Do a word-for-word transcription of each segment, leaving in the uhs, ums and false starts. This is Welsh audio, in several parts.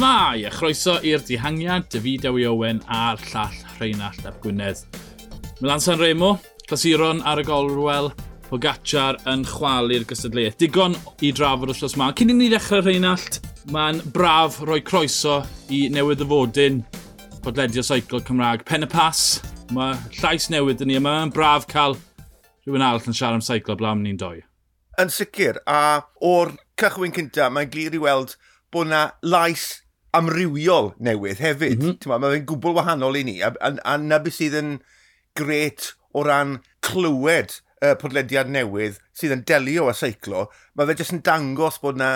Shmai, a chroeso i'r dihangiad, David Dewi Owen a'r llall Rheinallt ap Gwynedd. Milan San Remo, clasuron ar y gorwel, Pogacar yn chwalu'r gystadleuaeth. Digon i drafod wythnos 'ma. Cyn i ni ddechrau, Rheinallt, mae'n braf rhoi croeso i newydd ddyfodyn podledio seiclo Cymraeg. Pen y Pas, mae llais newydd yn ni, a mae'n braf cael rhywun arall yn siarad am seiclo blaen ni'n doi. Yn sicr, a o'r cychwyn cynta, mae'n glir i weld bod yna lais amrywiol newydd hefyd. Mm -hmm. Mae fe'n gwbl wahanol i ni, a, a, a na beth sydd yn gret o ran clywed y podlediad newydd sydd yn delio â seiclo, mae fe jyst yn dangos bod na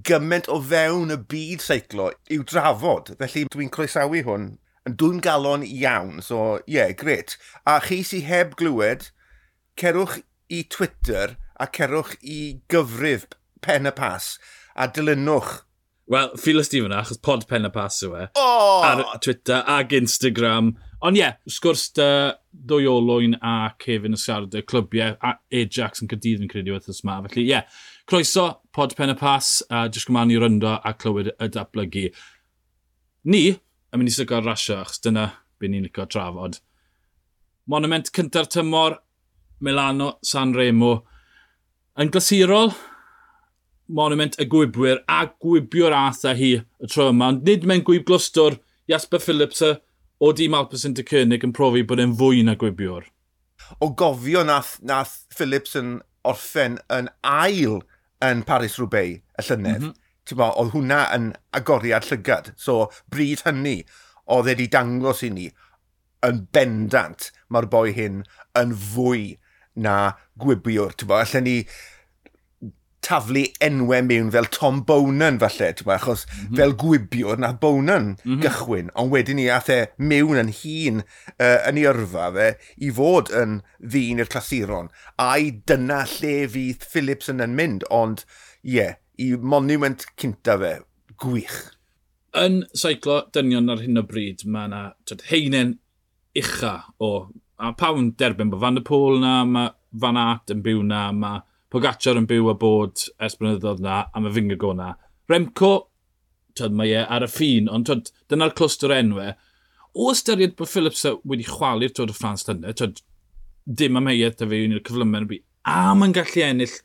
gymaint o fewn y byd seiclo i'w drafod. Felly dwi'n croesawu hwn yn dwym galon iawn, so ie, yeah, gret. A chi sydd heb glywed, cerwch i Twitter a cerwch i gyfrif Pen y Pas a dilynwch. Wel, ffiles di fyna, achos pod Pen y Pas yw e. Oh! Ar Twitter ag Instagram. Ond ie, yeah, sgwrs dy ddwy olwyn a Kevin yn siarad y clybiau a Ajax yn Caerdydd yn credu wythnos yma. Felly ie, yeah, croeso pod Pen y Pas, a jyst gwmân i ryndo a clywed y datblygu. Ni yn mynd i sygo'r rasio, achos dyna be ni'n licio trafod. Monument cynta'r tymor, Milano San Remo. Yn glasurol, monument y gwybwyr a gwybio'r ath â hi y tro yma. Ond nid mewn gwyb glwstwr, Jasper Philipsen o dîm Alpecin de Koenig yn profi bod e'n fwy na gwybiwr. O gofio nath, nath Philipsen orffen yn ail yn Paris-Roubaix y llynedd, mm -hmm. Bo, oedd hwnna yn agoriad llygad. So, bryd hynny, oedd e wedi dangos i ni yn bendant mae'r boi hyn yn fwy na gwybiwr. Bo, allen ni taflu enwau mewn fel Tom Boonen falle, bo, achos mm -hmm. fel gwybiwr nath Boonen mm -hmm. gychwyn, ond wedyn ni ath e mewn yn hun uh, yn ei yrfa fe i fod yn ddyn i'r clasuron. Ai dyna lle fydd Philipsen yn mynd, ond ie, yeah, i monument cynta fe, gwych. Yn seiclo dynion ar hyn o bryd, mae yna heinen ucha o, a pawb yn derbyn bod Van der Poel na, mae Van Aert yn byw na, mae Pogacar yn byw a bod ers blynyddoedd na, a mae Vingegaard na. Remco, twyd, mae e ar y ffin, ond twyd, dyna'r clwstwr enwau. O ystyried bod Philipsen wedi chwalu'r Tour de France llynedd, twyd, dim amheuaeth da fe un o'r cyflymau yn y byd, a mae'n gallu ennill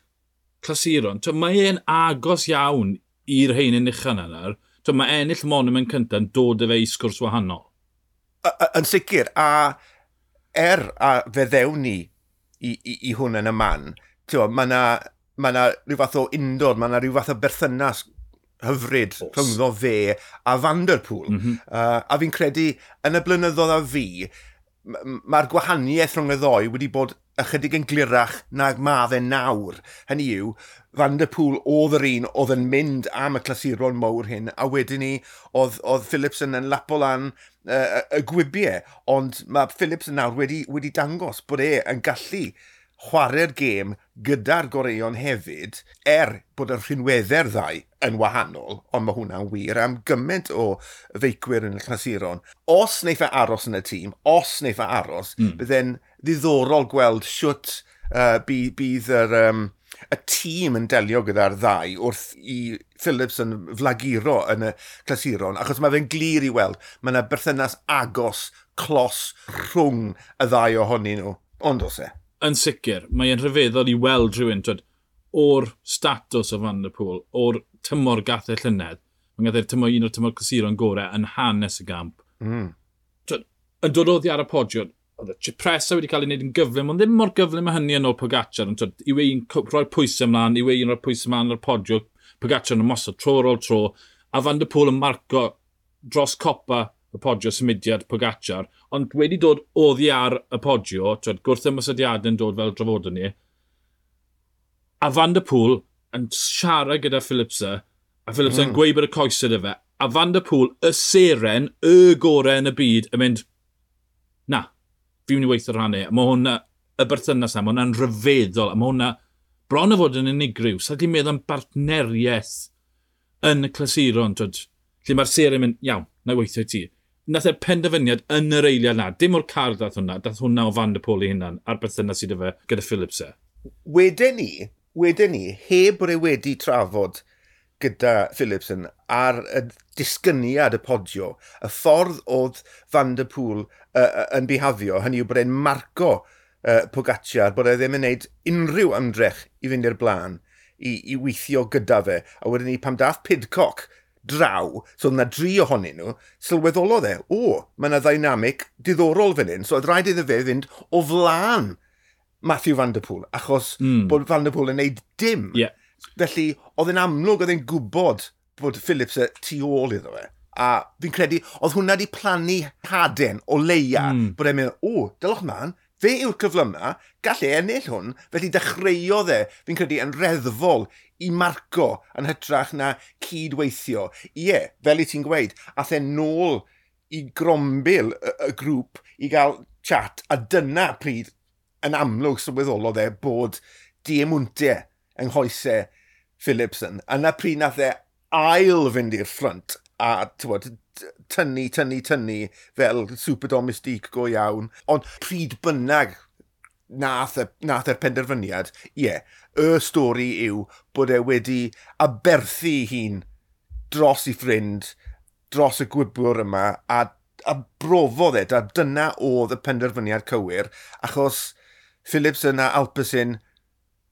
clasuron. Twyd, mae e'n agos iawn i'r heinen ucha yna nawr. Twyd, mae ennill monument cyntaf yn dod â fe i sgwrs wahanol. Yn sicr, a er a fe ddewn ni i, i, i hwn yn y man, mae yna ma na rhyw fath o undod, mae yna rhyw fath o berthynas hyfryd rhyngddo fe a Van der Poel. Mm -hmm. uh, a fi'n credu, yn y blynyddoedd a fi, mae'r gwahaniaeth rhwng y ddoi wedi bod ychydig yn glirach nag ma fe nawr. Hynny yw, Van der Poel oedd yr un oedd yn mynd am y clasuron mawr hyn, a wedyn ni oedd, oedd Philipsen yn lapo lan uh, y gwybiau. Ond mae Philipsen nawr wedi, wedi dangos bod e yn gallu chwarae'r gêm gyda'r goreuon hefyd, er bod y rhinweddau'r ddau yn wahanol, ond mae hwnna'n wir am gymaint o feicwyr yn y clasuron. Os wneith e aros yn y tîm, os wneith e aros, mm. bydde'n ddiddorol gweld siwt uh, bydd, bydd yr, um, y tîm yn delio gyda'r ddau wrth i Philipsen flaguro yn y clasuron, achos mae fe'n glir i weld, mae yna berthynas agos, clos rhwng y ddau ohonyn nhw, ond oes e? Yn sicr, mae'n rhyfeddol i weld rhywun twyd, o'r statws o Van der Poel, o'r tymor gath e llynedd, mae'n gath e'r tymor un o'r tymor clasuron gorau yn hanes y gamp. Mm. Twyd, yn dod oddi ar y podio, oedd y Cipressa wedi cael ei wneud yn gyflym, ond ddim mor gyflym â hynny yn ôl Pogacar. Ond twyd, yw ein rhoi pwysau ymlaen, yw ein rhoi pwysau ymlaen ar y podio, Pogacar yn ymosod tro ar ôl tro, a Van der Poel yn marco dros copa y podio symudiad Pogacar, ond wedi dod oddi ar y podio, twyd, gwrth ymosodiadau yn dod fel drafodon ni, a Van der Poel yn siarad gyda Philipsen, a Philipsen mm. yn gweud bod y coesau 'da fe, a Van der Poel, y seren, y gorau yn y byd, yn mynd, na, fi'n mynd i weithio rhannu. Mae hwnna, y berthynas na, mae hwnna'n rhyfeddol, a mae hwnna bron o fod yn unigryw. Sa ti'n meddwl am bartneriaeth yn y clasuron, twyd, lle mae'r seren yn mynd, iawn, na i weithio i ti. Nath e'r penderfyniad yn yr eiliad na, dim o'r car dath hwnna, dath hwnna o Van der Poel ei hunan, a'r berthynas sydd efo gyda Philipsen. Wedyn ni, wedyn ni, heb bod e wedi trafod gyda Philipsen ar y disgyniad y podio, y ffordd oedd Van der Poel uh, yn bihafio, hynny yw bod e'n marco uh, Pogacar, bod e ddim yn gwneud unrhyw ymdrech i fynd i'r blaen, i, i weithio gyda fe. A wedyn ni, pam dath Pidcock draw, so oedd yna dri ohonyn nhw, sylweddolodd e, o, mae yna ddynamic diddorol fan hyn, so oedd rhaid iddo fe fynd o flaen Mathieu Van Der Poel, achos mm. bod Van Der Poel yn neud dim. Yeah. Felly, oedd e'n amlwg, oedd e'n gwybod bod Phillips y tu ôl iddo fe. A fi'n credu, oedd hwnna wedi plannu haden o leia, mm. bod e'n meddwl, o, dylwch man, fe yw'r cyflyma, gall e ennill hwn, felly dechreuodd e, fi'n credu, yn reddfol i marco yn hytrach na cydweithio. Ie, fel i ti'n gweud, ath e nôl i grombil y, y grŵp i gael chat, a dyna pryd yn amlwg sylweddolodd e bod diemwntiau yng nghoesau Philipsen. A na pryd nath e ail fynd i'r ffrynt a tywod, tynnu, tynnu, tynnu fel super domestique go iawn. Ond pryd bynnag nath, y, nath e'r penderfyniad, ie, yeah, y stori yw bod e wedi aberthu hun dros i ffrind, dros y gwybwr yma, a, a brofodd e, a dyna oedd y penderfyniad cywir, achos Philipsen a Alpecin,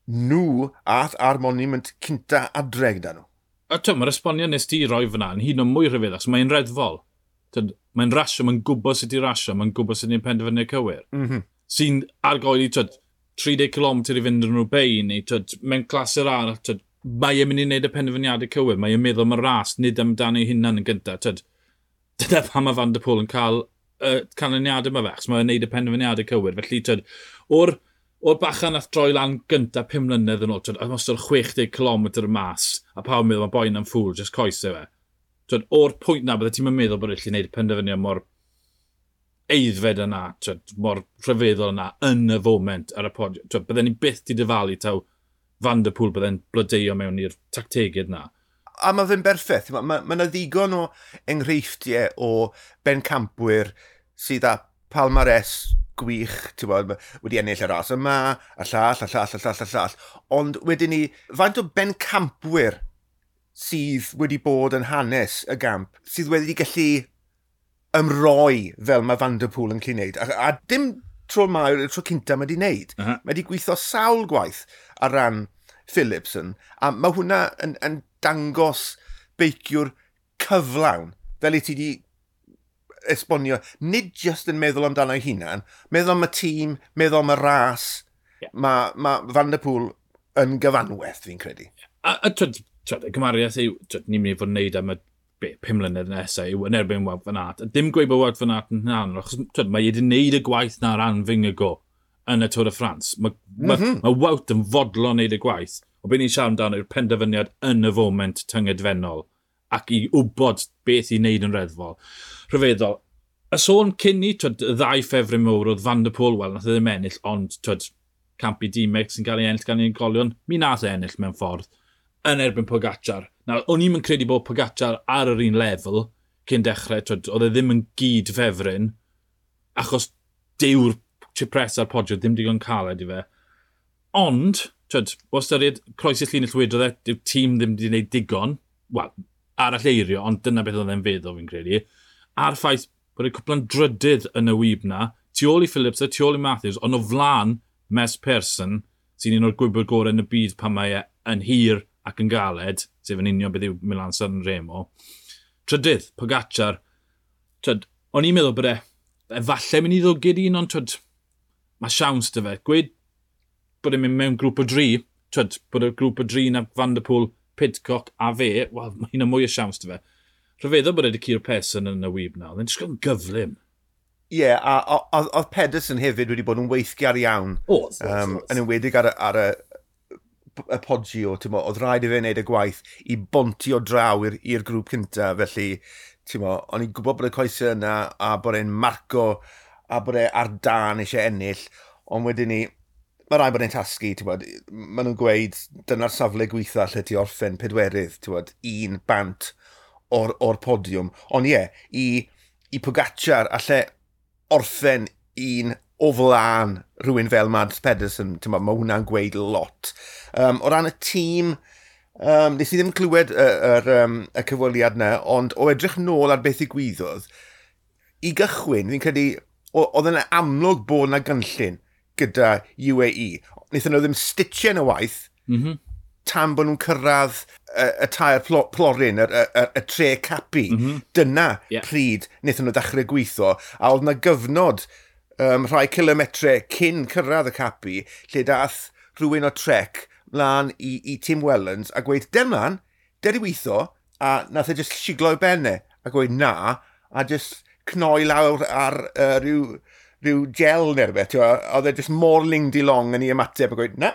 nhw ath ar monument cynta adre gyda nhw. A ti'n, mae'r esboniad nes ti roi fyna yn hyd yn oed mwy rhyfedd, achos mae'n reddfol. Mae'n rasio, mae'n gwybod sut i rasio, mae'n gwybod sut i'n penderfyniad cywir. Mm -hmm. Sy'n argoeli, twyd, tri deg kilometr i fynd yn Roubaix, neu twyd, mewn clasur arall, twyd, mae e'n mynd i wneud y penderfyniadau cywir, mae e'n meddwl am y ras, nid amdano ei hunan yn gyntaf. Twyd, dyna pam mae Van der Poel yn cael y uh, canlyniadau yma fe, achos mae'n wneud y penderfyniadau cywir. Felly, twyd, o'r o'r bachan nath droi lan gynta pum mlynedd yn ôl, twyd, a mostod chwech deg kilometr mas, a pawb yn meddwl mae boi na'n ffŵl, jyst coesau fe. Twyd, o'r pwynt na, bydde ti'n meddwl bod e'n gallu gwneud penderfyniad mor eiddfed yna, twyd, mor rhyfeddol yna, yn y foment ar y podiwm. Twyd, bydden ni byth di dyfalu taw Van der Poel bydde'n blodeuo mewn i'r tactegydd na. A mae fe'n berffaith. Mae ma, ma 'na ddigon o enghreifftiau o bencampwyr sydd â palmarès gwych, ti'n bod, wedi ennill y ras yma, a llall, a llall, a llall, a llall. Ond wedyn ni, faint o bencampwyr sydd wedi bod yn hanes y gamp, sydd wedi gallu ymroi fel mae Van der Poel yn gallu wneud. A, a dim tro ma, yw'r tro cynta mae wedi wneud. Uh -huh. Mae wedi gweithio sawl gwaith ar ran Philipsen, a mae hwnna yn, yn dangos beiciwr cyflawn, fel i ti di esbonio, nid just yn meddwl amdano ei hunan, meddwl am y tîm, meddwl am y ras. Yeah. Mae ma Van der Poel yn gyfanwaith, fi'n credu. A, a twyd, twyd, y gymariaeth yw, twyd, ni'n mynd i fod yn neud am y be, pum mlynedd nesaf yw yn erbyn Wout van Aert. A dim gweud bod Wout van Aert yn hynny, achos twyd, mae wedi wneud y gwaith na ran Vingegaard yn y Tour de France. Mae mm -hmm. ma, ma Wout yn fodlon wneud y gwaith. O beth ni'n siarad amdano yw'r penderfyniad yn y foment tyngedfennol ac i wybod beth i wneud yn reddfol. Rhyfeddol. Y sôn cyn ni, twyd, y ddau ffefryn mowr oedd Van der Poel, wel, nath e ddim ennill, ond twyd, camp i Dimex sy'n cael ei ennill gan ei unigolion, mi nath e ennill mewn ffordd yn erbyn Pogacar. Nawr, o'n i'm yn credu bod Pogacar ar yr un lefel cyn dechrau, twyd, oedd e ddim yn gyd ffefryn, achos dyw'r Cipressa a'r Poggio ddim digon caled i fe. Ond, twyd, o ystyried croesi'r llinell wedodd e, dyw tîm ddim wedi gwneud digon, wel, arall eirio, ond dyna beth oedd e'n feddwl fi'n credu. A'r ffaith bod e cwpla'n drydydd yn y wyb na, tu ôl i Phillips a tu ôl i Matthews, ond o flaen Mads Pedersen, sy'n un o'r gwybod gorau yn y byd pan mae e yn hir ac yn galed, sef yn union beth yw Milan San Remo. Trydydd, Pogacar. Twyd, o'n i'n meddwl bod e efallai mynd i ddwgyd un, ond twyd, mae siawns dy fe. Gweud bod e'n mynd mewn grŵp o dri, twyd, bod y grŵp o dri na Van der Poel, Pidcock a fe, wel, mae hynna mwy o siawns dy fe. Rhyfeddol bod e wedi curo Pedersen yn y wyb na, oedd e'n disgwyl yn gyflym. Ie, yeah, a oedd Pedersen hefyd wedi bod yn weithgar iawn. Oedd, oedd, um, oedd. Yn enwedig ar y, ar y, y Poggio, ti'n mo, oedd rhaid i fe wneud y gwaith i bontio draw i'r grŵp cynta, felly, ti'n mo, o'n i'n gwybod bod y coesau yna a bod e'n marco a bod e ar dan eisiau ennill, ond wedyn ni, mae rhaid bod e'n tasgu, ti'n bod, maen nhw'n gweud dyna'r safle gweitha lle ti orffen pedwerydd, ti'n bod, un bant o'r, or podiwm. Ond ie, i, i Pogacar alle orffen un o flaen rhywun fel Mads Pedersen, ti'n bod, mae hwnna'n gweud lot. Um, o ran y tîm, Um, nes i ddim clywed y, yr, um, y cyfweliad yna, ond o edrych nôl ar beth ddigwyddodd, i gychwyn, fi'n credu, oedd yna amlwg bod yna gynllun gyda U A E. Wnaethon nhw ddim stitchen y waith, mm -hmm. tan bod nhw'n cyrraedd y, y tair plo, plorin, y, y, y tre capi. Mm -hmm. Dyna yeah. pryd wnaethon nhw ddechrau gweithio, a oedd yna gyfnod um, rhai kilometre cyn cyrraedd y capi, lle dath rhywun o Trek mlaen i, i Tim Wellens a gweud, dem mlaen, der i weithio, a nath e just siglo i benne, a gweud na, a just cnoi lawr ar uh, rhyw, rhyw gel neu rhywbeth, oedd e just mor ling-di-long yn ei ymateb a gweud, na.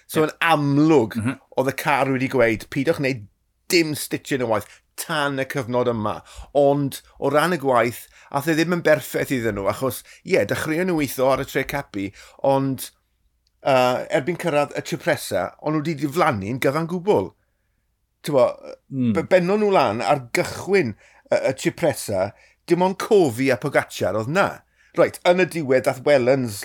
So yn yeah. amlwg, mm -hmm. oedd y car wedi gweud, pidwch wneud dim stitching o waith tan y cyfnod yma. Ond o ran y gwaith, ath e ddim yn berffaith iddyn nhw, achos, ie, yeah, dechreuon nhw weithio ar y tre capi, ond Uh, erbyn cyrraedd y Cipressa, ond nhw wedi diflannu'n gyfan gwbl. T'bo, mm. bennon nhw lan ar gychwyn y, y Cipressa, dim ond Covi a Pogacar oedd na. Reit, yn y diwedd dath Wellens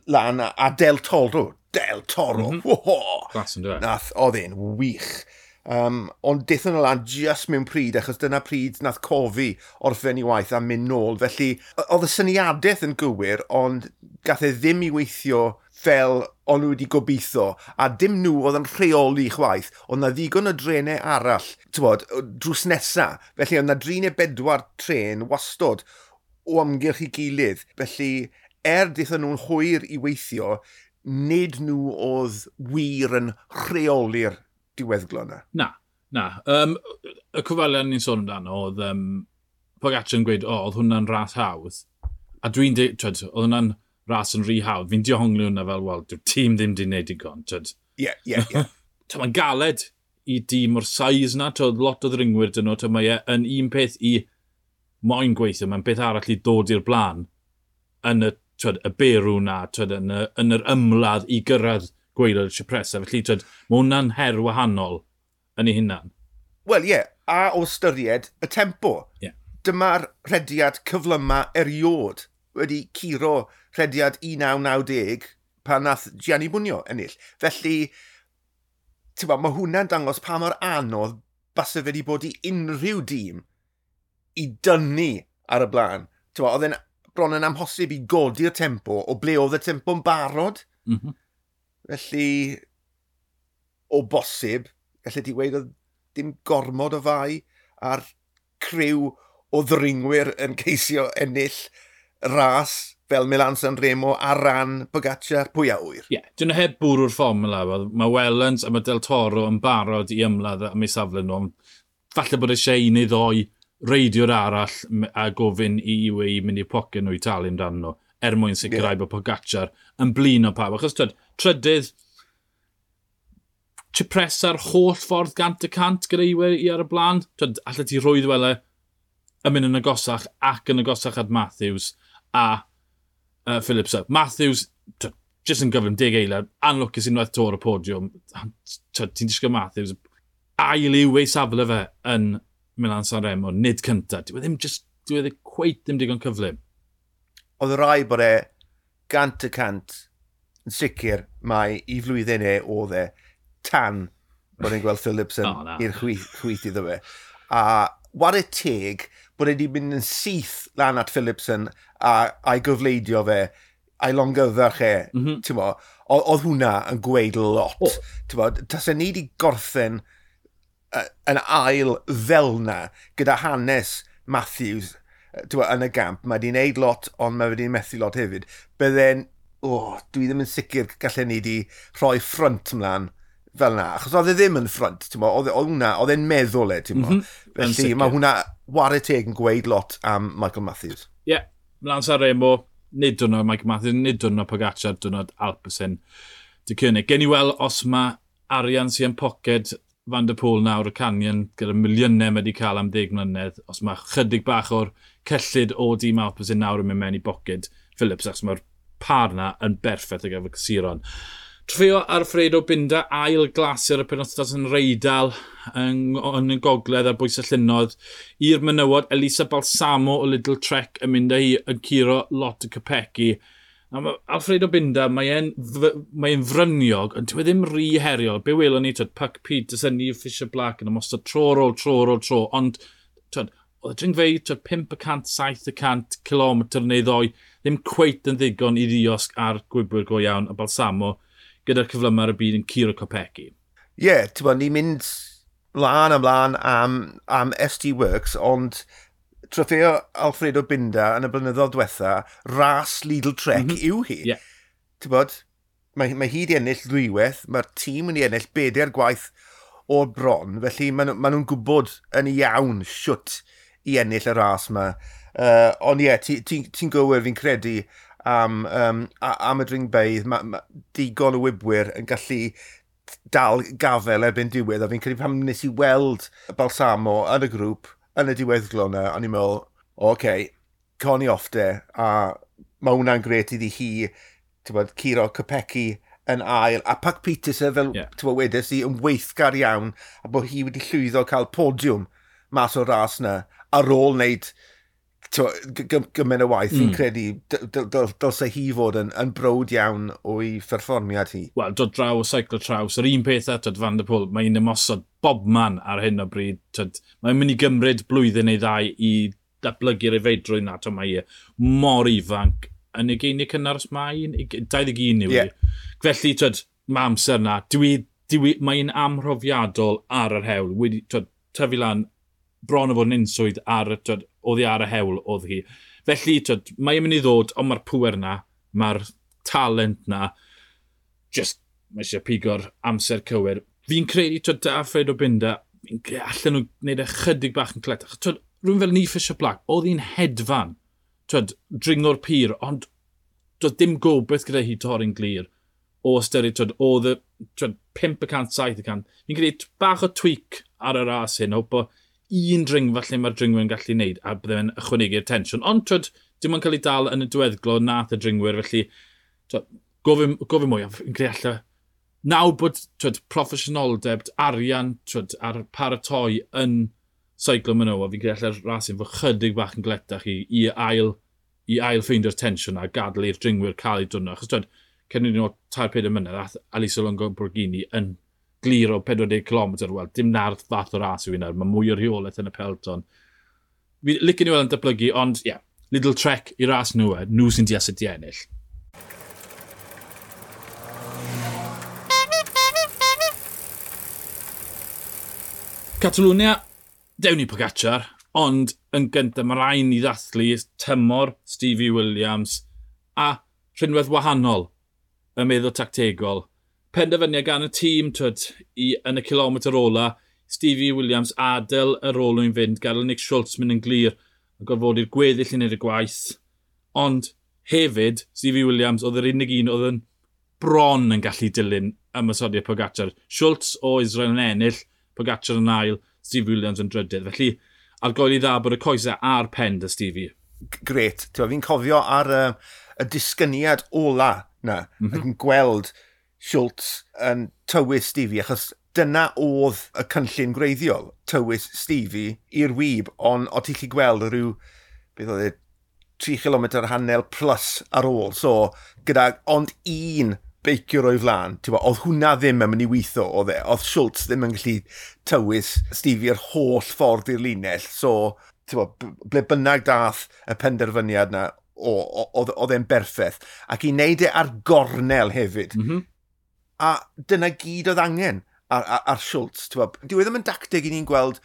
lan a, a Del Toro. Del Toro! Mm -hmm. Glas yn dweud. Nath, oedd e'n wych. Um, ond daethon nhw lan just mewn pryd, achos dyna pryd nath Covi orffen i waith a mynd nôl. Felly, oedd y syniadaeth yn gywir, ond gath e ddim i weithio fel o'n nhw wedi gobeithio, a dim nhw oedd yn rheoli chwaith, oedd na ddigon o drenau arall, t'bod, drws nesa. Felly oedd na dri neu bedwar tren wastod o amgylch i gilydd. Felly, er daethon nhw'n hwyr i weithio, nid nhw oedd wir yn rheoli'r diweddglo yna. Na, na. Um, y cyfweliad ni'n sôn amdano oedd um, Pogacar yn gweud, o, oedd hwnna'n ras hawdd. A dwi'n dweud, oedd hwnna'n ras yn rhy hawdd. Fi'n dihongli hwnna fel, wel, dyw'r tîm ddim di wneud digon, twyd. Ie, ie, ie. Mae'n galed i dîm o'r size na, twyd, lot o ddringwyr dyn nhw, twyd, mae e yn un peth i moyn gweithio, mae'n beth arall i ddod i'r blaen yn y, twyd, y berw na, twyd, yn, y, yn yr ymladd i gyrraedd gwaelod y Cipressa. Felly, twyd, mae hwnna'n her wahanol yn ei hunan. Wel, ie, yeah, a o ystyried y tempo. Yeah. Dyma'r rhediad cyflyma eriod wedi curo rhediad un naw naw deg pan nath Gianni Bugno ennill. Felly, ti'n bod, mae hwnna'n dangos pa mor anodd base fe wedi bod i unrhyw dîm i dynnu ar y blaen. Ti'n bod, oedd e'n bron yn amhosib i godi'r tempo o ble oedd y tempo'n barod. Mm -hmm. Felly, o bosib, gallu ti weud oedd dim gormod o fai ar criw o ddringwyr yn ceisio ennill ras fel Milan San Remo ar ran Pogacar, pwy a ŵyr. Ie, yeah, dyn nhw heb bwrw'r fformula. Mae Wellens a mae Del Toro yn barod i ymladd am eu safle nhw. Falle bod eisiau un neu ddoi reidiwr arall a gofyn i U A E mynd i'r poced nhw i talu amdano nhw, er mwyn sicrhau yeah. bod Pogacar yn blin o pawb. Achos twyd, trydydd, Cipressa'r holl ffordd gant y cant gyda U A E ar y blaen. Twyd, allet ti rhwydd wele yn mynd yn agosach ac yn agosach at Matthews a uh, Phillips. Matthews, twyd, jyst yn gyflym, deg eiliad, anlwcus unwaith to ar y podiwm. Ti'n disgwyl Matthews, ail yw ei safle fe yn Milan San Remo, nid cynta. Dyw e ddim just, dyw e ddim cweit ddim digon cyflym. Oedd rai bod e gant y cant yn sicr mai i flwyddyn e oedd e tan bod e'n gweld Phillips yn oh, i'r chwith, chwith iddo fe. A ware teg bod e wedi mynd yn syth lan at Philipsen a, a'i gyfleidio fe, a'i longyfarch e, mm -hmm. ti'n bo, oedd hwnna yn gweud lot. Oh. Ti'n bo, tase ni wedi gorffen uh, yn ail fel na gyda hanes Matthews ti'n bo, yn y gamp. Mae wedi wneud lot, ond mae wedi methu lot hefyd. Bydde'n, oh, dwi ddim yn sicr gallen ni wedi rhoi ffrynt ymlaen fel na, achos oedd e ddim yn ffrynt, ti'n bo, oedd hwnna, oedd e'n meddwl e, ti'n bo. Mm -hmm. Felly mae hwnna ware teg yn gweud lot am Michael Matthews. Ie, yeah, Milan San Remo, nid diwrnod Michael Matthews, nid diwrnod Pogacar, diwrnod Alpecin Deceuninck. Gen i weld os mae arian sy'n yn poced Van der Poel nawr y Canyon gyda miliynau mae wedi cael am ddeg mlynedd, os mae chydig bach o'r cyllid o dîm Alpecin nawr yn mynd mewn i boced Phillips, achos mae'r par na yn berffaith ar gyfer cysuron. Trofeo Alfredo Binda, ail glasur y penwythnos yn Reidal yn, yn y gogledd ar bwys y llynnoedd. I'r menywod, Elisa Balsamo o Lidl Trek yn mynd â hi yn curo Lotte Kopecky. A mae Alfredo Binda, mae e'n mae e'n fryniog, ond dyw e ddim rhy heriol. Be welon ni, twyd, Puck Peterson, Neil Fisher-Black yn ymosod tro ar ôl tro ar ôl tro, ond twyd, oedd y dringfeydd, twyd, pump y cant, saith y cant kilometr neu ddoi, ddim cweit yn ddigon i ddiosg ar gwybwyr go iawn, a Balsamo gyda'r cyflymau ar y byd yn curo Kopecky. Ie, yeah, ti'n bod, ni'n mynd lan am lan am, am S T Works, ond Trofeo Alfredo Binda yn y blynyddoedd diwetha, ras Lidl Trek mm -hmm. yw hi. Yeah. Ti'n bod, mae, mae hi wedi ennill ddwywaith, mae'r tîm wedi ennill bedair gwaith o'r bron, felly maen, maen nhw'n gwybod yn iawn siwt i ennill y ras yma. Uh, ond ie, yeah, ti'n ti, ti gywir fi'n credu am, um, am y dringfeydd, mae ma digon o wybwyr yn gallu dal gafel erbyn diwedd, a fi'n credu pam nes i weld Balsamo yn y grŵp, yn y diweddglo yna, o'n i'n meddwl, oce, okay, Connie off de, a mae hwnna'n gret iddi hi, ti'n bod, curo Kopecky yn ail, a Puck Peterson, fel yeah. ti'n bod, wedes i, yn weithgar iawn, a bod hi wedi llwyddo cael podiwm mas o'r ras yna, ar ôl wneud gymaint o waith, mm. fi'n credu dylse hi fod yn, yn browd iawn o'i pherfformiad hi. Wel, dod draw o seiclo traws, yr un peth eto, Van der Poel, mae'n ymosod bobman ar hyn o bryd. Twyd, mae'n mynd i gymryd blwyddyn neu ddau i datblygu'r efeidrwydd na, twyd, mae mor ifanc. Yn ugeiniau cynnar os mae'n dau ddeg un yw hi. Yeah. Felly, twyd, mae amser na. Dwi, dwi, mae'n amhrofiadol ar yr hewl. Wedi, twyd, tyfu lan bron o fod yn unswydd ar, twyd, oddi ar y hewl oedd hi. Felly, twyd, mae'n mynd i ddod, ond mae'r pŵer na, mae'r talent na, just, mae eisiau pigo'r amser cywir. Fi'n credu, twyd, da Alfredo Binda, fi'n credu allan nhw gwneud ychydig bach yn cletach. Twyd, rhywun fel Neil Fisher-Black, oedd hi'n hedfan, twyd, dringo'r pur, ond doedd dim gobaith gyda hi torri'n glir o ystyried, twyd, oedd y twyd, pump y cant, saith y cant. Fi'n credu bach o tweak ar y ras hyn, o bod un dringfa lle mae'r dringwyr yn gallu wneud a bydde fe'n ychwanegu'r tensiwn. Ond twyd, dim ond cael ei dal yn y diweddglo nath y dringwyr, felly twyd, gofyn, gofyn mwy, fi'n credu alla nawr bod twyd, proffesiynoldeb, arian twyd, a'r paratoi yn seiclo menywod, fi'n credu alla'r ras hyn fod chydig bach yn gletach i, i ail, i ail ffeindio'r tensiwn a gadael i'r dringwyr cael ei dwrno. Achos twyd, cyn i ni tair pedair mlynedd, ath Alessio Longo Borghini yn glir o pedwar deg kilometr, wel, dim na'r fath o ras yw hynna, mae mwy o rheolaeth yn y peloton. Fi licen i weld yn datblygu, ond ie, yeah, Lidl Trek i ras nhw, e, nhw sy'n deall sut i ennill. Catalwnia, dewn ni Pogacar, ond yn gyntaf mae rhaid ni ddathlu tymor Stevie Williams a rhinwedd wahanol y meddwl tactegol. Penderfyniad gan y tîm twyd, i, yn y kilometr ola, Stevie Williams adael yr olwyn fynd, gadael Nick Schultz mynd yn glir a gorfodi'r gweddill i wneud y gwaith. Ond hefyd, Stevie Williams oedd yr unig un oedd yn bron yn gallu dilyn ymosodiad Pogacar. Schultz o Israel yn ennill, Pogacar yn ail, Stevie Williams yn drydydd. Felly, argoeli dda bod y coesau ar pen dy Stevie. Gret. Fi'n cofio ar y, y disgyniad ola na, mm -hmm. ac yn gweld Schultz yn tywys Stevie, achos dyna oedd y cynllun gwreiddiol, tywys Stevie i'r wib, ond o ti'n gallu gweld rhyw, beth oedd e, tri kilometr hanner plus ar ôl, so gyda ond un beiciwr o'i flaen, ti'n bod, oedd hwnna ddim yn mynd i weithio, oedd e, oedd Schultz ddim yn gallu tywys Stevie yr holl ffordd i'r linell, so ti'n bod, ble bynnag dath y penderfyniad na, oedd e'n berffaith, ac i wneud e ar gornel hefyd, mm -hmm. A dyna gyd oedd angen ar, ar, ar Schultz. Dyw e ddim yn dacteg i ni'n gweld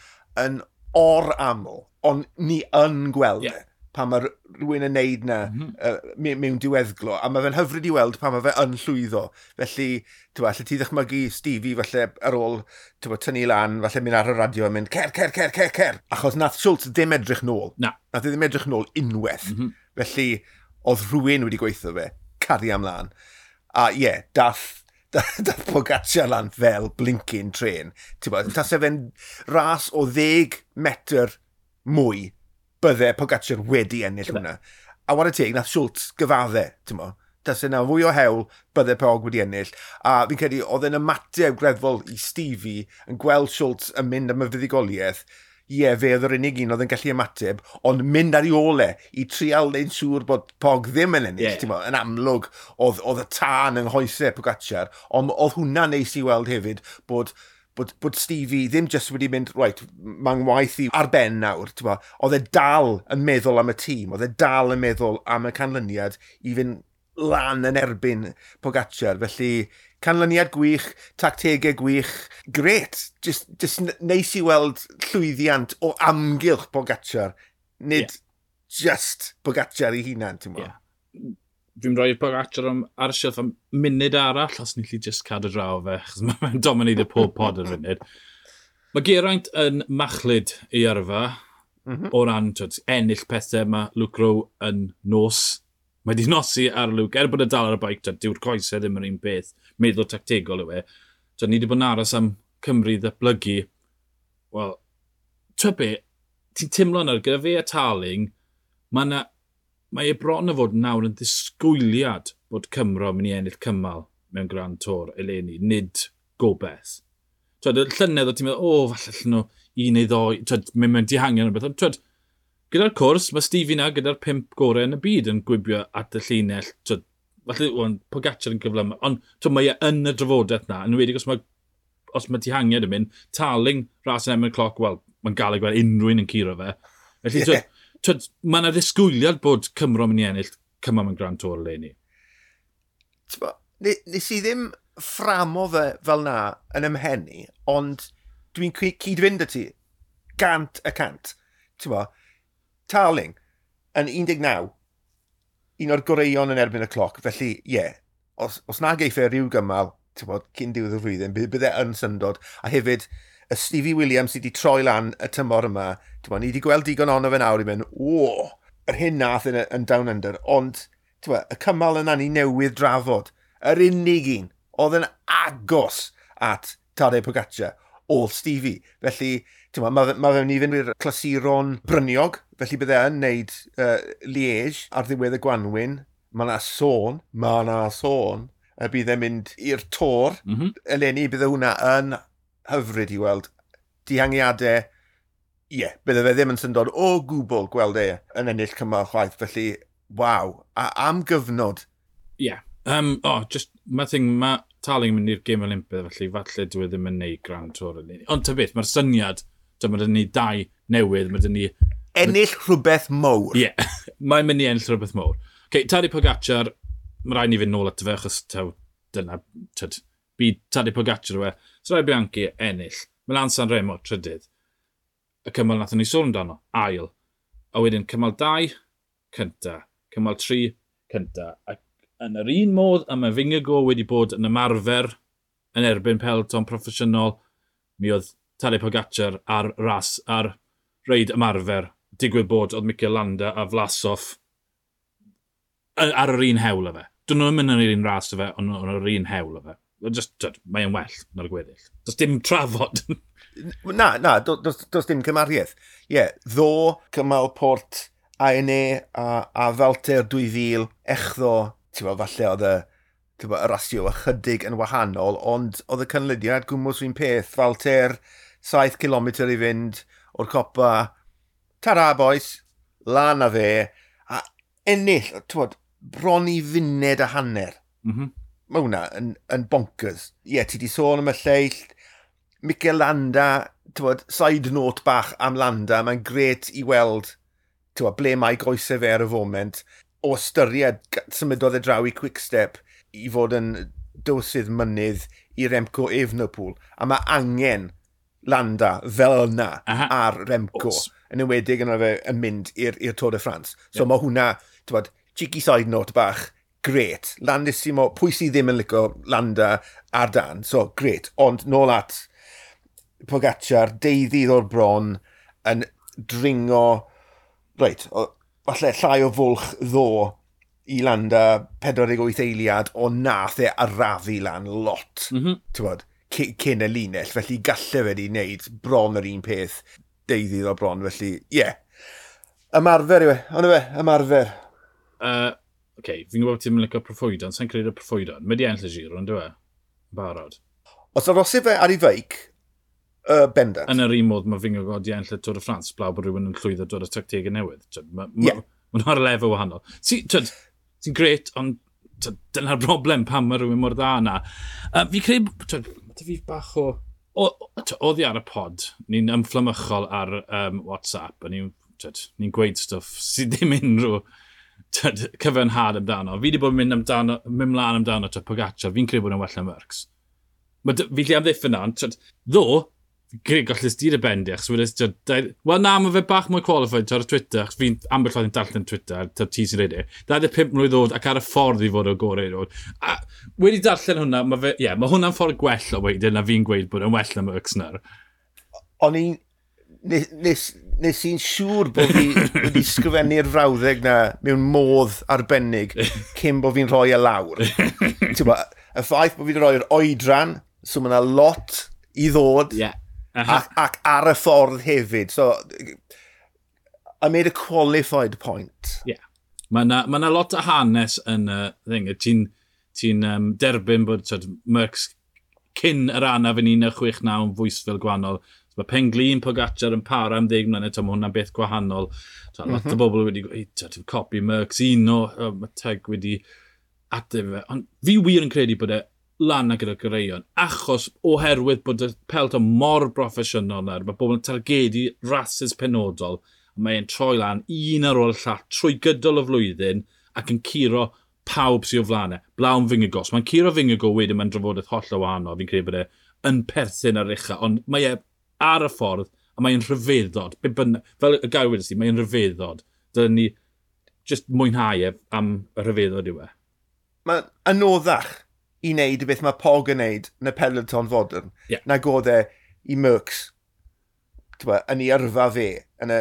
yn or-aml, ond ni yn gweld yeah. e pan mae rhywun yn neud na mm -hmm. uh, mewn diweddglo. A mae fe'n hyfryd i weld pan mae fe yn llwyddo. Felly, ti'n allet ti ddychmygu Stevie falle ar ôl ti'n tynnu lan, falle mynd ar y radio a mynd cer, cer, cer, cer, cer. Achos nath Schultz ddim edrych nôl. Na. Nath e ddim edrych nôl unwaith. Mm -hmm. Felly, oedd rhywun wedi gweithio fe, cario ymlaen. A ie, yeah, dath dath Pogacar lan fel blinking train. Ti'n tase fe'n ras o ddeg metr mwy, bydde Pogacar wedi ennill hwnna. A whare teg, nath Schultz gyfadde, ti'n bo. Tase na fwy o hewl, bydde Pog wedi ennill. A fi'n credu, oedd e'n ymateb greddfol i Stevie yn gweld Schultz yn mynd am y fuddugoliaeth. Ie, yeah, fe oedd yr unig un oedd yn gallu ymateb, ond mynd ar ei ôl e i trial neud siŵr bod Pog ddim yn ennill. Yeah. Mo, yn amlwg, oedd, oedd y tân yng nghoesau Pogacar, ond oedd hwnna neis i weld hefyd bod bod, bod Stevie ddim just wedi mynd, right, mae'n waith i ar ben nawr, mo, oedd e dal yn meddwl am y tîm, oedd e dal yn meddwl am y canlyniad i fynd lan yn erbyn Pogacar, felly canlyniad gwych, tactegau gwych, gret, just, just neis i weld llwyddiant o amgylch Pogacar, nid yeah. just Pogacar ei hunan, ti'n gwybod? Yeah. Dwi'n rhoi Pogacar am, ar y shelf am munud arall, os ni'n gallu just cadw draw fe, achos mae'n domineiddio pob pod ar funud. Mae Geraint yn machlud ei yrfa, mm -hmm. o ran twyd, ennill pethau, mae Luke Rowe yn nos. Mae di nosi ar Luke, er bod e dal ar y bike, dyw'r coesau ddim yr un peth, meddwl tactegol yw e. Twyd, ni wedi bod yn aros am Cymru ddatblygu. Wel, twyd be, ti'n teimlo nawr, gyda fe a Tarling, mae na, mae e bron o fod nawr yn ddisgwyliad bod Cymro yn mynd i ennill cymal mewn Grand Tour eleni, nid gobeith. Twyd, y llynedd o ti'n meddwl, o, falle allan nhw un neu ddoi, twyd, mynd mewn dihangiad neu beth, ond twyd, gyda'r cwrs, mae Stevie na gyda'r pump gorau yn y byd yn gwibio at y llinell. Twyd, falle, well, Pogacar yn gyflym, ond twyd, mae e yn y drafodaeth na, yn enwedig os mae, os mae dihangiad yn mynd, Tarling, ras yn erbyn y cloc, wel, mae'n gael ei gweld unrhyw un yn curo fe. Felly, yeah. twyd, twyd, mae yna ddisgwyliad bod Cymro yn mynd i ennill cymal mewn Grand Tour eleni. Nes i ddim fframo fe fel na yn ymhenni, ond dwi'n cyd-fynd â ti, gant y cant. Ti'n bo, Tarling yn un deg naw, un o'r goreuon yn erbyn y cloc, felly ie, yeah, os, os na geiff e rhyw gymal, ti'n bod, cyn diwedd y flwyddyn, bydd e yn syndod. A hefyd, y Stevie Williams sydd wedi troi lan y tymor yma, ti'n bod, ni wedi gweld digon ono fe nawr i mynd, o, yr hyn nath yn, yn Down Under, ond, ti'n bod, y cymal yna ni newydd drafod, yr unig un, oedd yn agos at Tadej Pogacar, oedd Stevie. Felly, ti'n bod, mae ma fe'n i fynd i'r clasuron bryniog, felly bydde yn neud uh, Liège ar ddiwedd y Gwanwyn. Mae yna sôn, mae yna sôn, y bydd e'n mynd i'r Tour. Mm -hmm. Eleni, bydde hwnna yn hyfryd i weld. Dihangiadau, ie, yeah, bydde fe ddim yn syndod o gwbl gweld e yn ennill cymal chwaith. Felly, waw, a am gyfnod. Ie, yeah. um, oh, just, mae thing, mae Tarling yn mynd i'r Gêm Olympaidd, felly falle dwi ddim yn neud Grand Tour eleni. Ond ta beth, mae'r syniad, mae dyn ni dau newydd, mae dyn ni ennill rhywbeth mawr. Ie, yeah. Mae'n mynd i ennill rhywbeth mawr. Okay, Tadej Pogacar, mae rhaid ni fynd nôl ato fe, achos taw, dyna, tyd, byd Tadej Pogacar yw e. Strade Bianche, ennill. Milan San Remo, trydydd. Y cymal nathon ni sôn amdano, ail. A wedyn cymal dau, cynta. Cymal tri, cynta. Ac yn yr un modd, a mae Vingegaard wedi bod yn ymarfer yn erbyn peloton proffesiynol, mi oedd Tadej Pogacar ar ras, ar reid ymarfer. Digwydd bod oedd Mikel Landa a Vlasov ar yr un hewl o fe. Dyn nhw'n mynd yn yr un ras o fe, ond nhw'n yr un hewl o fe. Just, dyd, mae'n well na'r gweddill. Does dim trafod. Na, na, does, does dim cymariaeth. Ie, yeah, ddo, cymal Port, A N A a, a Falter dwy fil, echddo, ti'n bod, falle oedd y, ti'n bod, y rasio ychydig yn wahanol, ond oedd y canlyniad gwmws un peth. Falter, saith kilometr i fynd o'r copa, tara boys, lan a fe, a ennill, ti'n bod, bron i funed a hanner. Mm -hmm. Mae hwnna yn, yn bonkers. Ie, yeah, ti di sôn am y lleill, Mikel Landa, ti'n bod, side note bach am Landa, mae'n gret i weld, ti'n bod, ble mae goesau fe ar y foment, o ystyried symudodd e draw i Quickstep i fod yn dywysydd mynydd i Remco Evenepoel. A mae angen Landa fel yna Aha. ar Remco, Os. yn enwedig yna fe yn mynd i'r Tour de France. So yeah. Mae hwnna, ti'n bod, cheeky side note bach, gret. Landissimo, pwy sydd ddim yn licio Landa ar dan, so gret. Ond nôl at Pogacar, deuddydd o'r bron, yn dringo, reit, o, falle llai o fwlch ddo i Landa pedwar deg wyth eiliad, o nath e arafu lan lot, mm -hmm. ti'n bod, cyn y linell, felly galle fe wedi wneud bron yr un peth deuddydd o bron, felly, ie. Yeah. Ymarfer yw e, ond yw e, ymarfer. Uh, okay, fi'n gwybod ti'n licio proffwydon, sa'n credu proffwydon. Mae di ennill y Giro, ond yw e? Barod. Os arosif fe ar ei feic, Uh, bendant. Yn yr un modd mae Vingegaard di ennill y Tour de France, blaw bod rhywun yn llwyddo dod â tactegau newydd. Mae ma, yeah. ma nhw ar lefel wahanol. Sy'n sy gret, ond dyna'r broblem pam mae rhywun mor dda yna. Uh, fi credu, twyd, ma fi bach o... Oddi ar y pod, ni'n ymfflamychol ar um, WhatsApp, a ni'n ni gweud stwff sydd ddim unrhyw twyd, cyfiawnhad amdano. Fi wedi bod yn mynd, amdano, mynd mlaen amdano twyd, Pogacar, fi'n credu bod yn well na Merckx. Ma, fi lle amddiffyn na, ond ddo, Greg, gallus di dy bendi, achos wedys, wel na, mae fe bach mwy qualified ar Twitter, achos fi'n ambell waith yn darllen Twitter, ta ti sy'n reid e, dau ddeg pump mlwydd oed ac ar y ffordd i fod o gorau i ddod. A wedi darllen hwnna, mae fe, ie, yeah, mae hwnna'n ffordd gwell o weid e, na fi'n gweud bod yn well na Merckx nawr. O'n i'n, nes, nes, nes i'n siŵr bod fi wedi sgrifennu'r frawddeg na mewn modd arbennig cyn bod fi'n rhoi e lawr. Ti'n bo, y ffaith bod fi wedi rhoi'r oedran, so mae yna lot i ddod. Yeah. Uh-huh. Ac, ac ar y ffordd hefyd. So, I made a qualified point. Yeah. Mae yna ma lot o hanes yn y uh, thing. Ti'n ti um, derbyn bod tyd, Merckx cyn yr anaf yn un naw chwech naw yn fwysfil gwahanol. So, mae Penglin Pogacar yn para am ddeg mlynedd, mae hwnna'n beth gwahanol. So, mm-hmm. Lot o bobl wedi gweud, copi Merckx, un o, oh, mae Teg wedi ateb fe. Ond fi wir yn credu bod e lan gyda goreuon, achos oherwydd bod y peloton mor broffesiynol nawr, mae bobl yn targedu rasys penodol, a mae'n troi lan un ar ôl y llall trwy gydol y flwyddyn ac yn curo pawb sydd o flaen e. Blawn Vingegaard. Mae'n curo Vingegaard wedyn, mae'n drafodaeth hollol wahanol, fi'n credu bod e yn perthyn ar ucha, ond mae e ar y ffordd a mae'n rhyfeddod. Be bynnag, fel y gair wedes i, mae'n rhyfeddod. Dylen ni just mwynhau e am y rhyfeddod yw e. Mae'n anoddach i wneud y beth mae Pog yn wneud yn y peloton fodern, yeah. nag oedd e i Merckx t'bo, yn ei yrfa fe yn y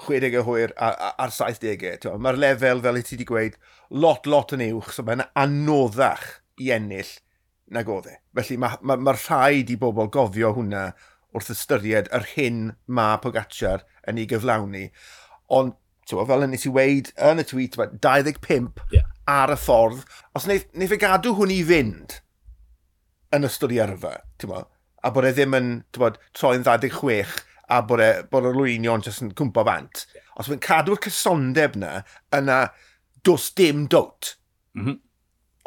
chwedegau hwyr a'r saithdegau. Mae'r lefel, fel i ti wedi gweud, lot, lot yn uwch, so mae'n anoddach i ennill nag oedd e. Felly mae ma, ma rhaid i bobl gofio hwnna wrth ystyried yr hyn mae Pogacar yn ei gyflawni. Ond, t'bo, fel nes i weid yn y tweet, dau ddeg pump yeah. ar y ffordd. Os wneith, wneith e gadw hwn i fynd yn ystod i yrfa, t'bo, a bod e ddim yn t'bo, troi'n ddau ddeg chwech a bod, e, bod yr olwynion jyst yn cwmpo bant. Yeah. Os mae'n cadw'r cysondeb na, yna does dim dowt. Mm-hmm.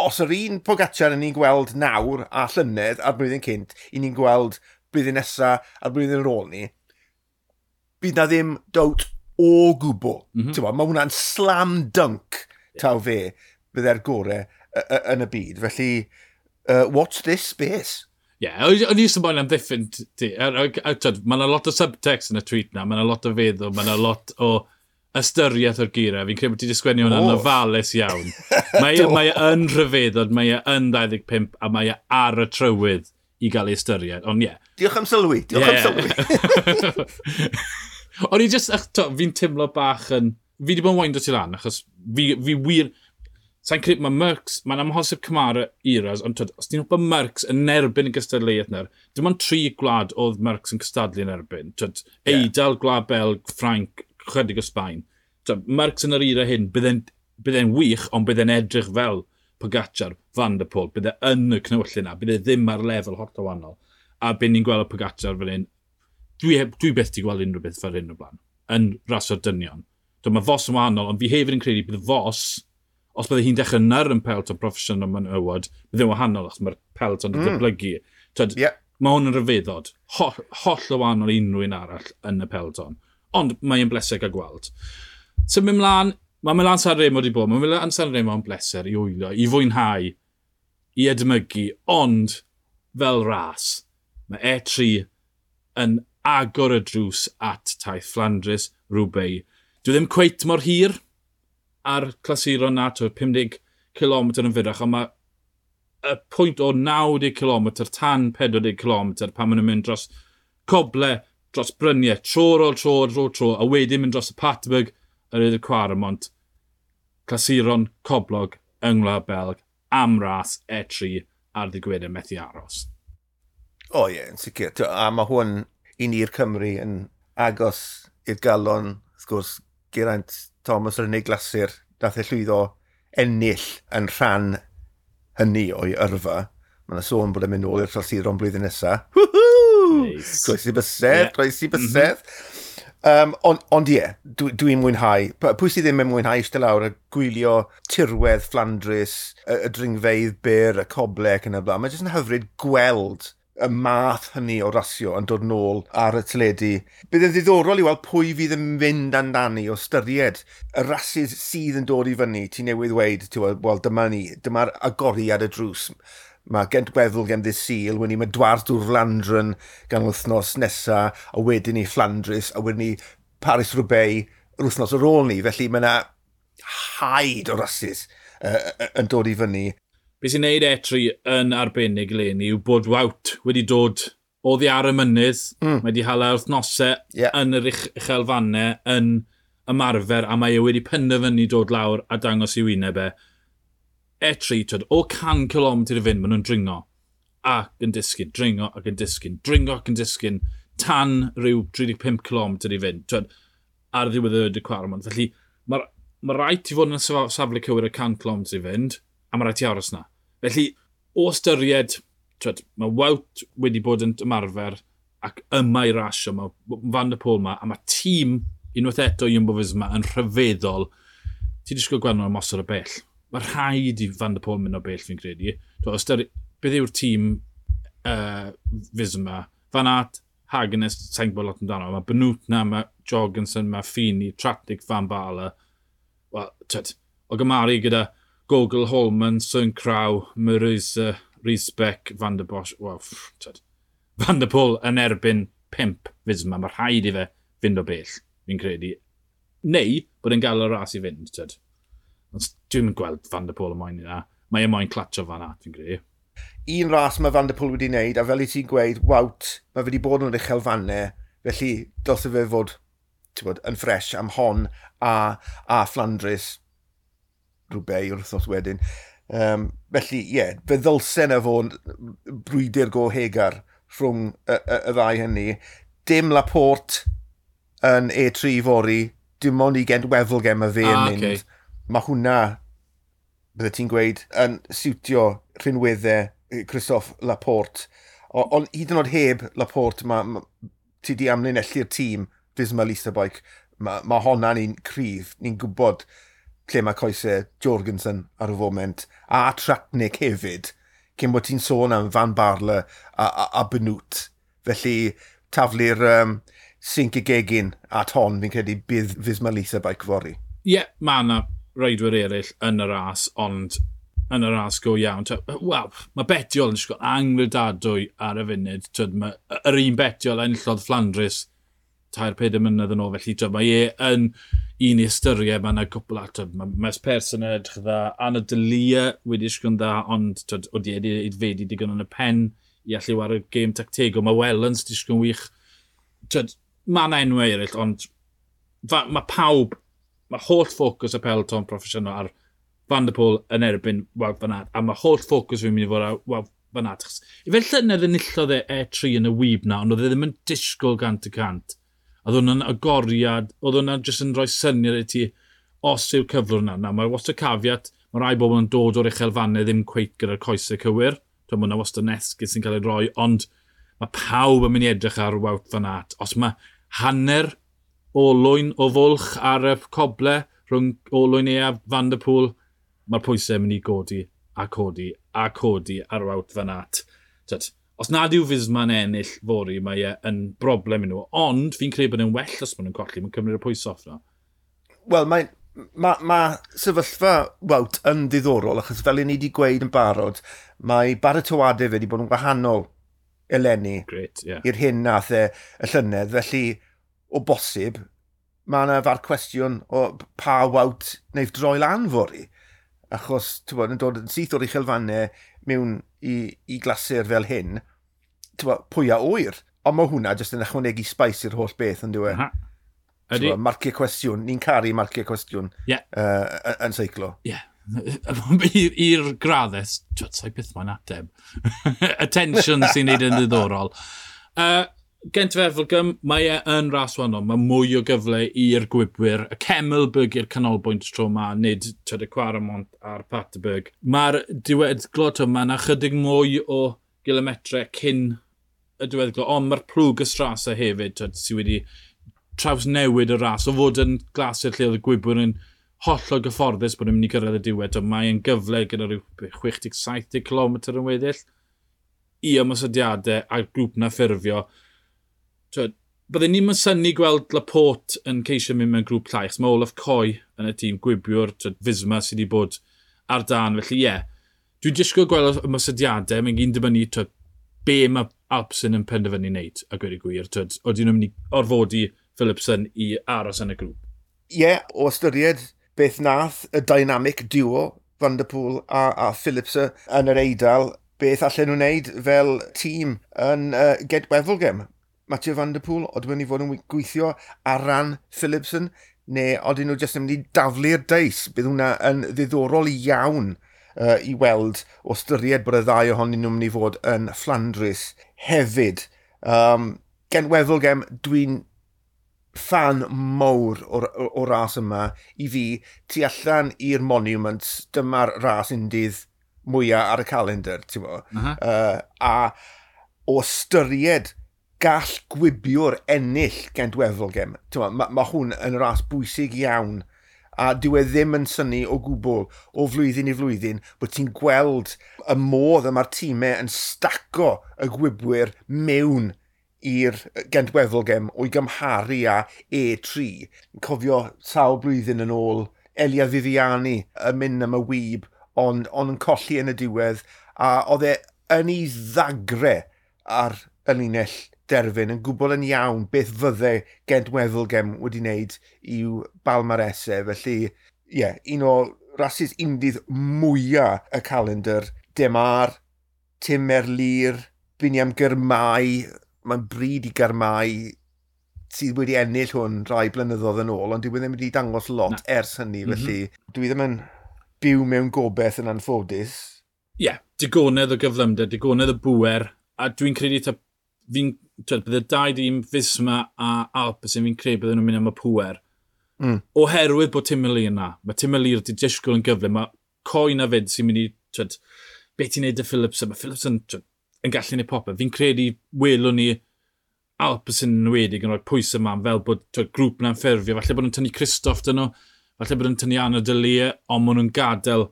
Os yr un Pogacar yn ni'n gweld nawr a llynedd a'r blwyddyn cynt, i ni'n gweld blwyddyn nesa a'r blwyddyn ar ôl ni, bydd na ddim dowt o gwbl. Mm-hmm. T'bo, mae hwnna'n slam dunk taw fe bydde'r gorau yn y byd. Felly, uh, watch this space. Ie, yeah, o'n i jyst yn boen amddiffyn ti. Mae yna lot o subtext yn y tweet na, mae yna lot o feddwl, mae yna lot o ystyriaeth o'r geiriau. Fi'n credu bod ti wedi sgwennu hwnna'n ofalus iawn. Mae, mae e yn rhyfeddod, mae e yn dau ddeg pump a mae e ar y trywydd i gael ei ystyried. Ond ie. Yeah. Diolch am sylwi, diolch yeah. am sylwi. O'n i just, fi'n teimlo bach yn... Fi wedi bod yn windo ti lan, achos fi, fi wir... Sa'n credu, mae Merckx, mae'n amhosib cymharu eras, ond twyd, os ti'n hwpa Merckx yn erbyn y gystadleuaeth nawr, dim ond tri gwlad oedd Merckx yn cystadlu yn erbyn. Twyd, yeah. Eidal, Gwlad Belg, Ffrainc, chydig o Sbaen. Twyd, Merckx yn yr era hyn, bydde'n bydde wych, ond bydde'n edrych fel Pogacar, Van der Poel, bydde yn y cnywyllun na, bydde ddim ar lefel hollol wahanol. A be ni'n gweld o Pogacar fel hyn, dwi, dwi byth di gweld unrhyw beth fel hyn o blaen, yn raso'r dynion. Twyd, mae Vos yn wahanol, ond fi hefyd yn credu bydd Vos, os bydde hi'n dechrau nyr yn peloton proffesiynol menywod, bydde hi'n wahanol achos mae'r peloton yn mm. datblygu. Twyd, yeah. Mae hwn yn rhyfeddod, holl, holl o wahanol i unrhyw un arall yn y peloton. Ond mae'n bleser gael gweld. Symud mlaen, mae Milan Sanremo wedi bod, mae Milan Sanremo yn bleser i wylio, i fwynhau, i edmygu, ond fel ras, mae E tri yn agor y drws at taith Flandres, Roubaix. Dwi ddim cweit mor hir ar clasuron na, twyd, pum deg kilometr yn fyrrach, ond mae y pwynt o naw deg kilometr tan pedwar deg kilometr pan maen nhw'n mynd dros coble, dros bryniau, tro ar ôl tro, tro, tro, a wedyn mynd dros y Paterberg yr Edd y Cwaramont, clasuron coblog yng Ngwlad Belg am ras E tri ar ddydd Gwener methu aros. O ie, yn sicr. A mae hwn i ni'r Cymru yn agos i'r galon, wrth gwrs, Geraint Thomas yr unig glasur nath e llwyddo ennill yn rhan hynny o'i yrfa. Mae yna sôn bod e'n mynd nôl i'r clasuron blwyddyn nesaf. Woohoo! Nice. Croesi bysedd, yeah. Croesi bysedd. Mm -hmm. Um, ond on ie, yeah, dwi'n dwi mwynhau. Pwy sydd ddim yn mwynhau eistedd lawr a gwylio tirwedd Fflandrys, y, y dringfeydd byr, y coble ac yn y blaen. Mae jyst yn hyfryd gweld y math hynny o rasio yn dod nôl ar y teledu. Bydd yn ddiddorol i weld pwy fydd yn mynd amdani o styried y rasys sydd yn dod i fyny. Ti newydd weud, ti'n wel, dyma ni, dyma'r agoriad y drws. Mae Gent Wevelgem ddydd Sul, wedyn ni mae Dwars door Vlaanderen gan wythnos nesa, a wedyn ni Flandres, a wedyn ni Paris-Roubaix yr wythnos ar ôl ni. Felly mae yna haid o rasys uh, yn dod i fyny. Be sy'n neud E tri yn arbennig eleni yw bod Wout wedi dod oddi ar y mynydd. Mm. Mae wedi hala wythnosau yeah. yn yr uchelfannau yn ymarfer, a mae e wedi penderfynu dod lawr a dangos i wyneb e. E tri, twyd, o can kilometr i fynd, maen nhw'n dringo ac yn disgyn, dringo ac yn disgyn, dringo ac yn disgyn, tan rhyw tri deg pump kilometr i fynd, twyd, ar ddiwedd y Cwarmont. Felly, mae ma rhaid ti fod yn y safle cywir y can kilometr i fynd, a mae rhaid ti aros na. Felly, o ystyried, twyd, mae Wout wedi bod yn ymarfer ac yma i rasio, mae Van der Poel ma, a mae tîm unwaith eto Jumbo Visma yn rhyfeddol. Ti disgwyl gweld nhw ymosod o bell. Mae rhaid i Van der Poel mynd o bell, fi'n credu. Twyd, ystyri, beth yw'r tîm uh, Visma? Van Aert, Hagenes, sa'n gwybod lot amdano. Mae Benoot na, mae Jorgensen, mae Fini, Tratnik, Van Baarle. Wel, twyd, o gymaru gyda Gogl, Holman, Sönkrau, Marisa, Riesbeck, Van der Bosch. Wel, twyd, Van der Poel yn erbyn pump Visma. Mae rhaid i fe fynd o bell, fi'n credu. Neu bod e'n gael y ras i fynd, twyd. Ond dwi'm yn gweld Van der Poel yn moyn yna. Mae e moyn clatio Van Aert, fi'n credu. Un ras mae Van der Poel wedi wneud, a fel i ti'n gweud, Wout, mae fe wedi bod yn uchelfannau, felly dylse fe fod, ti'n bod, yn ffres am hon a, a Flandres Roubaix yr wythnos wedyn. Um, felly, ie, yeah, fe ddylse na fod brwydr go hegar rhwng y, y, y ddau hynny. Dim Laporte yn E tri fory, dim ond i Gent Wevelgem mae fe yn ah, mynd. Okay. Mae hwnna, bydde ti'n gweud, yn siwtio rhinweddau Christophe Laporte. Ond hyd yn oed heb Laporte, ma, ma, ti di amlinellu'r tîm Visma Lease a Bike, mae ma honna'n un cryf. Ni'n gwybod lle mae coesau Jorgensen ar y foment, a Tratnik hefyd, cyn bod ti'n sôn am Van Baarle a, a, a Benoot. Felly taflu'r um, sinc y gegin at hon, fi'n credu, bydd Visma Lease a Bike fory. Ie, yeah, mae yna reidwyr eraill yn y ras, ond yn y ras go iawn. Wel, mae Bettiol yn disgwyl angredadwy ar y funud. Twyd, mae yr un Bettiol enillodd Flandres tair pedair mlynedd yn ôl, felly twyd, mae e yn un i ystyried, mae yna cwpl at, mae Mads Pedersen yn edrych dda, Anna Delia wedi disgwyl yn dda, ond twyd, wedi wedi aeddfedu digon yn y pen i allu wario gêm tactegol. Mae Wellens disgwyl yn wych. Twyd, mae yna enwau eraill, ond fa, mae pawb, mae holl ffocws y peloton proffesiynol ar Van der Poel yn erbyn Wout van Aert, a mae holl ffocws fi'n mynd i fod ar Wout van Aert. I fel llynedd enillodd e E tri yn y wyb na, ond oedd e ddim yn disgwyl gant y cant. Oedd hwnna'n agoriad, oedd hwnna'n jyst yn rhoi syniad i ti os yw'r cyflwr yna. Na, mae wastad caveat, mae rai bobl yn dod o'r uchelfannau ddim cweit gyda'r coesau cywir. Dwi'n meddwl, wastad yn esgus sy'n cael ei roi, ond mae pawb yn mynd i edrych ar Wout van Aert. Os mae hanner olwyn o fwlch ar y coble rhwng olwyn e a Van der Poel, mae'r pwysau yn mynd i godi a codi a codi ar Wout van Aert. Tyd, os nad yw Visma'n ennill fory, mae e yn broblem i nhw. Ond fi'n credu bod e'n well os maen nhw'n colli, mae'n cymryd y pwysau off nhw. Wel, mae ma, ma sefyllfa Wout yn ddiddorol, achos fel i ni wedi gweud yn barod, mae baratoadau fe wedi bod yn wahanol eleni Great, yeah. i'r hyn nath e y llynedd. Felly, o bosib, mae yna far cwestiwn o pa Wout wneud droi lan fory. Achos, ti'n bod, yn dod yn syth o'r uchelfannau mewn i, i glasur fel hyn, ti'n bod, pwy a ŵyr. Ond mae hwnna jyst yn ychwanegu spice i'r holl beth, yn dyw e? Ydy. Marciau cwestiwn, ni'n caru marciau cwestiwn yeah. uh, yn seiclo. Ie. Yeah. I'r graddau, sa'i byth mae'n ateb. Attention sy'n neud yn ddiddorol. Uh, Gent Wevelgem, mae e yn ras wahanol. Mae mwy o gyfle i'r gwibwyr. Y Kemmelberg i'r canolbwynt tro ma, nid twyd, y Quaremont a'r Paterberg. Mae'r diweddglo, mae yna chydig mwy o gilometre cyn y diweddglo, ond mae'r plwg y Strasa hefyd, twyd, sydd wedi trawsnewid y ras, o fod yn glasur lle oedd y gwybwyr yn hollol gyfforddus bod nhw'n mynd i gyrraedd y diwedd, twyd, mae'n gyfle gyda rhyw chwech deg saith deg kilometr yn weddill i ymosodiadau a'r grŵp na ffurfio. Twyd, bydden ni'n synnu gweld Laporte yn ceisio mynd mewn grŵp llai, achos mae Olaf Coy yn y tîm gwibiwr, twyd, Visma sydd wedi bod ar dan, felly ie. Yeah, dwi'n disgwyl gweld ymosodiadau, mae'n gyn dibynnu twyd, be mae Alpecin yn penderfynu wneud, a gweud y gwir, twyd, oedden nhw'n mynd i orfodi Philipsen i aros yn y grŵp. Ie, yeah, o ystyried beth nath y dynamic duo Van der Poel a, a Philipsen yn yr Eidal, beth allan nhw'n wneud fel tîm yn uh, Gent Wevelgem. Mathieu Van der Poel, oedden nhw'n mynd i fod yn gweithio ar ran Philipsen, neu oedden nhw jyst yn mynd i daflu'r deis. Bydd hwnna yn ddiddorol iawn uh, i weld o ystyried bod y ddau ohonyn nhw'n mynd i fod yn Flandres hefyd. Um, Gent Wevelgem, dwi'n fan mawr o'r, o'r, o'r ras yma. I fi, tu allan i'r Monuments, dyma'r ras undydd mwyaf ar y calendar, ti'n bo. Uh -huh. uh, a o ystyried gall gwibiwr ennill Gent Wevelgem. Mae ma hwn yn ras bwysig iawn, a dyw e ddim yn synnu o gwbl o flwyddyn i flwyddyn bod ti'n gweld y modd y mae'r tîmau yn staco y gwibwyr mewn i'r Gent Wevelgem o'i gymharu â E tri. Cofio sawl blwyddyn yn ôl, Elia Viviani yn mynd am y wyb, ond on yn colli yn y diwedd, a oedd e yn ei ddagre ar y linell derfyn, yn gwbl yn iawn beth fydde Gent Wevelgem wedi wneud i'w balmaresau. Felly, ie, yeah, un o rasys undydd mwyaf y calendar. Demar, Tim Merlier, Biniam Girmay, mae'n bryd i Girmay sydd wedi ennill hwn rai blynyddoedd yn ôl, ond dwi ddim wedi dangos lot Na. ers hynny, mm -hmm. felly dwi ddim yn byw mewn gobeith yn anffodus. Ie, yeah, digonedd o gyflymder, digonedd o bŵer, a dwi'n credu ta, fi'n, twed, bydde dau dîm Visma a Alpecin, fi'n credu bydden nhw'n mynd am y pŵer. Mm. Oherwydd bod Tim Merlier yna, mae Tim Merlier wedi disgwyl yn gyflym, mae Coy na fyd sy'n mynd i, twed, beth ti'n neud â Philipsen, mae Philipsen twed, yn gallu neud popeth. Fi'n credu welwn ni Alpecin yn enwedig yn rhoi pwysau yma, fel bod twed, grŵp na'n ffurfio, falle bod nhw'n tynnu Kristoff dyn nhw, falle bod nhw'n tynnu Arnaud De Lie, ond maen nhw'n gadael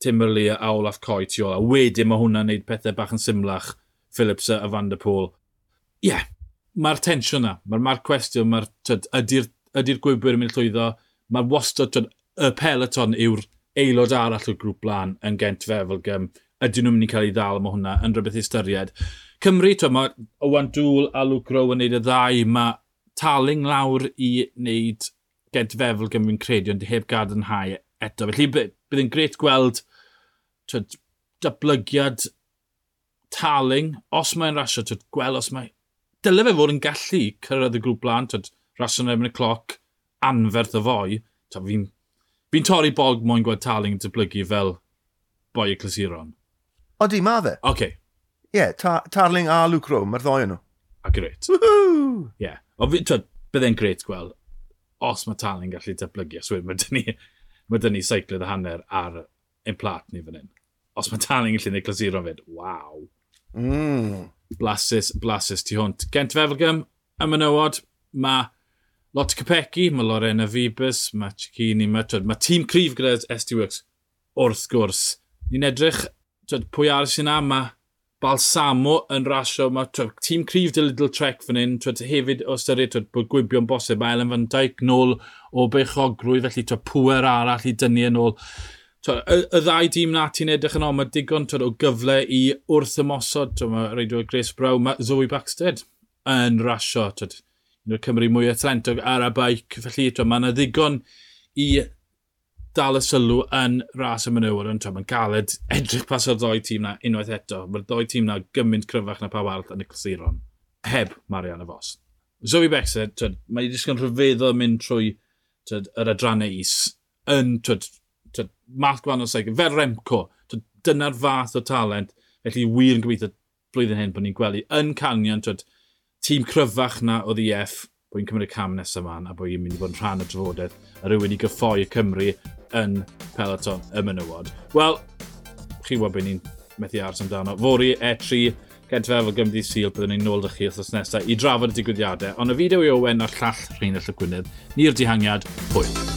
Tim Merlier a Olaf Coy tu ôl. A wedyn mae hwnna'n neud pethau bach yn symlach, Phillips a Van der Poel. Ie, yeah, mae'r tensiwn na, mae'r ma cwestiwn, mae'r, ydy'r ydy gwybwyr yn mynd llwyddo, mae'r wastad, twyd, y peloton yw'r aelod arall o'r grŵp blaen yn Gent Wevelgem. Ydyn nhw'n mynd i cael ei ddal, mae hwnna yn rhywbeth i ystyried. Cymru, twyd, mae Owain Doull a Luke Rowe yn neud y ddau, mae Tarling lawr i wneud Gent Wevelgem fi'n credu, ond heb gadarnhau eto. Felly bydd yn grêt gweld twyd, datblygiad Tarling, os mae'n rasio, twyd, gweld os mae... Dyle fe fod yn gallu cyrraedd y grŵp blaen, twyd, rasio yn erbyn y cloc, anferth o foi. Fi'n fi torri bog moyn gweld Tarling yn datblygu fel boi y clasuron. Odi, ma fe. Oce. Ie, yeah, ta Tarling a Luke Rowe, mae'r ddoi nhw. A grêt. Woohoo! Ie. Yeah. Twyd, bydd e'n grêt gweld os mae Tarling gallu datblygu. Os mae dyn ni, mae dyn ni seiclydd a hanner ar ein plat ni fan hyn. Os mae Tarling yn gallu gwneud clasuron fyd, waw. Mm. Blasus, blasus tu hwnt. Gent Wevelgem, y menywod, mae Lotte Kopecky, mae Lorena Wiebes, mae Cecchini, mae, twyd, mae tîm cryf gyda S D Works, wrth gwrs. Ni'n edrych, twyd, pwy arall sy'n na, mae Balsamo yn rasio, mae twyd, tîm cryf dy Lidl Trek fan hyn, twyd, hefyd o ystyried twyd, bod gwibio'n bosib, mae Ellen van Dijk nôl o beichogrwydd, felly twyd, pŵer arall i dynnu yn ôl. Twyd, y, y ddau dîm na ti'n edrych yn ôl, mae digon twyd, o gyfle i wrth ymosod, twyd, mae reidwyr Grace Brown, mae Zoe Backstedt yn rasio, twyd, un o'r Cymru mwyaf talentog ar y beic, felly twyd, mae yna ddigon i dal y sylw yn ras y menywod, ond mae'n galed edrych pas o'r ddoi tîm na unwaith eto. Mae'r ddoi tîm na gymaint cryfach na pawb arall yn y clasuron, heb Marianne Vos. Zoe Bäckstedt, twyd, mae wedi disgwyl rhyfeddol mynd trwy twyd, yr adrannau is, yn twyd, twyd, math gwahanol seiclo, fel Remco, twyd, dyna'r fath o talent, felly wir yn gobeithio blwyddyn hyn bod ni'n gweld yn Canyon, twyd, tîm cryfach na oedd E F, bod hi'n cymryd cam nesaf yma, a bod hi'n mynd i fod yn rhan o drafodaeth, a rhywun i gyffoi y Cymru yn peloton y menywod. Wel, chi wybod beth ni'n methu aros amdano. Fory, E tri, Gedfe efo Gymru Sul, byddwn ni'n nôl 'da chi wythnos nesaf i drafod y digwyddiadau. Ond y fideo i Owen a'r llall Rheinallt Gwynedd, ni'r dihangiad, hwyl.